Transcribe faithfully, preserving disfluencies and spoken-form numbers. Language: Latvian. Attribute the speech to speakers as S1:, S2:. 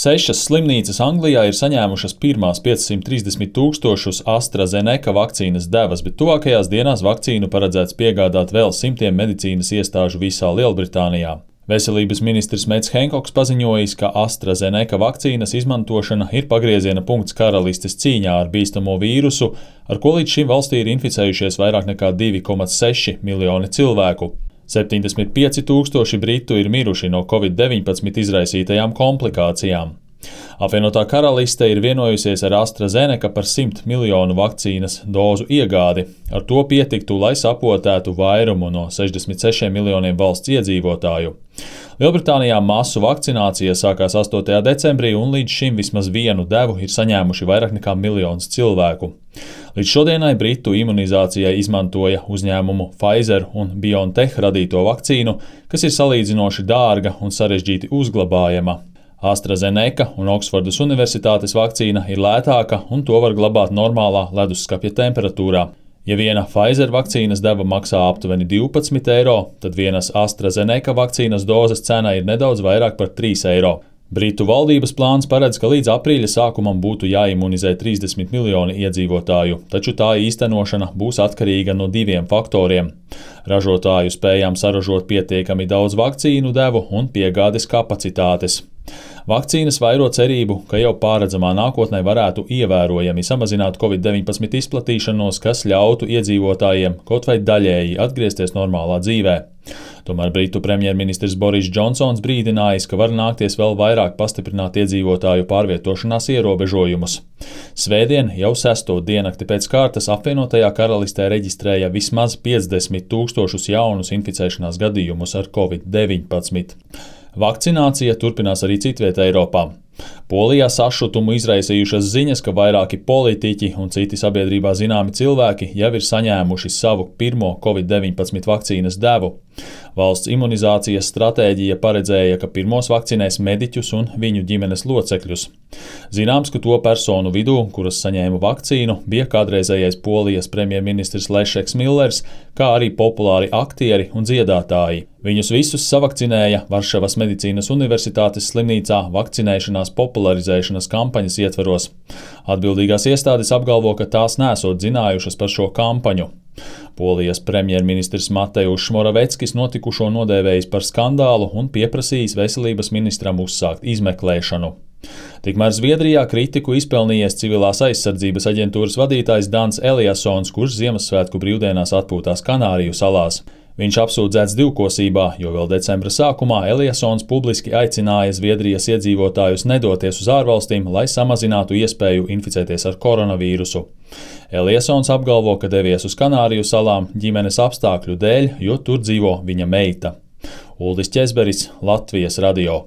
S1: Sešas slimnīcas Anglijā ir saņēmušas pirmās piecsimt trīsdesmit tūkstošus AstraZeneca vakcīnas devas, bet tuvākajās dienās vakcīnu paredzēts piegādāt vēl simtiem medicīnas iestāžu visā Lielbritānijā. Veselības ministrs Mets Henkoks paziņojis, ka AstraZeneca vakcīnas izmantošana ir pagrieziena punkts karalistes cīņā ar bīstamo vīrusu, ar ko līdz šim valstī ir inficējušies vairāk nekā divi komats seši miljoni cilvēku. septiņdesmit pieci tūkstoši britu ir miruši no covid deviņpadsmit izraisītajām komplikācijām. Apvienotā karaliste ir vienojusies ar AstraZeneca par simt miljonu vakcīnas dozu iegādi. Ar to pietiktu, lai sapotētu vairumu no sešdesmit sešiem miljoniem valsts iedzīvotāju. Lielbritānijā masu vakcinācija sākās astotajā decembrī, un līdz šim vismaz vienu devu ir saņēmuši vairāk nekā miljons cilvēku. Līdz šodienai Britu imunizācijai izmantoja uzņēmumu Pfizer un BioNTech radīto vakcīnu, kas ir salīdzinoši dārga un sarežģīti uzglabājama. AstraZeneca un Oksfordas Universitātes vakcīna ir lētāka, un to var glabāt normālā leduskapja temperatūrā. Ja viena Pfizer vakcīnas deva maksā aptuveni divpadsmit eiro, tad vienas AstraZeneca vakcīnas dozes cena ir nedaudz vairāk par trīs eiro. Britu valdības plāns paredz, ka līdz aprīļa sākumam būtu jāimunizē trīsdesmit miljoni iedzīvotāju, taču tā īstenošana būs atkarīga no diviem faktoriem – ražotāju spējām saražot pietiekami daudz vakcīnu devu un piegādes kapacitātes. Vakcīnas vairo cerību, ka jau pārredzamā nākotnē varētu ievērojami samazināt covid deviņpadsmit izplatīšanos, kas ļautu iedzīvotājiem kaut vai daļēji atgriezties normālā dzīvē. Tomēr Britu premjerministrs Boris Džonsons brīdinājis, ka var nākties vēl vairāk pastiprināt iedzīvotāju pārvietošanās ierobežojumus. Svētdien jau sesto diennakti pēc kārtas apvienotajā karalistē reģistrēja vismaz piecdesmit tūkstošus jaunus inficēšanās gadījumus ar covid deviņpadsmit. Vakcinācija turpinās arī citvietā Eiropā. Polijā sašutumu izraisījušas ziņas, ka vairāki politiķi un citi sabiedrībā zināmi cilvēki jau ir saņēmuši savu pirmo covid deviņpadsmit vakcīnas devu. Valsts imunizācijas stratēģija paredzēja, ka pirmos vakcinēs mediķus un viņu ģimenes locekļus. Zināms, ka to personu vidū, kuras saņēma vakcīnu, bija kādreizējais Polijas premjerministrs Lešeks Millers, kā arī populāri aktieri un dziedātāji. Viņus visus savakcinēja Varšavas medicīnas universitātes slimnīcā vakcinēšanās popularizēšanas kampaņas ietveros. Atbildīgās iestādes apgalvo, ka tās nesot zinājušas par šo kampaņu. Polijas premjerministrs Mateušs Moraveckis notikušo nodēvējis par skandālu un pieprasījis veselības ministram uzsākt izmeklēšanu. Tikmēr Zviedrijā kritiku izpelnījies civilās aizsardzības aģentūras vadītājs Dans Eliasons, kurš Ziemassvētku brīvdienās atpūtās Kanāriju salās. Viņš apsūdzēts divkosībā, jo vēl decembra sākumā Eliasons publiski aicināja Zviedrijas iedzīvotājus nedoties uz ārvalstīm, lai samazinātu iespēju inficēties ar koronavīrusu. Eliasons apgalvo, ka devies uz Kanāriju salām ģimenes apstākļu dēļ, jo tur dzīvo viņa meita. Uldis Ķezberis, Latvijas radio.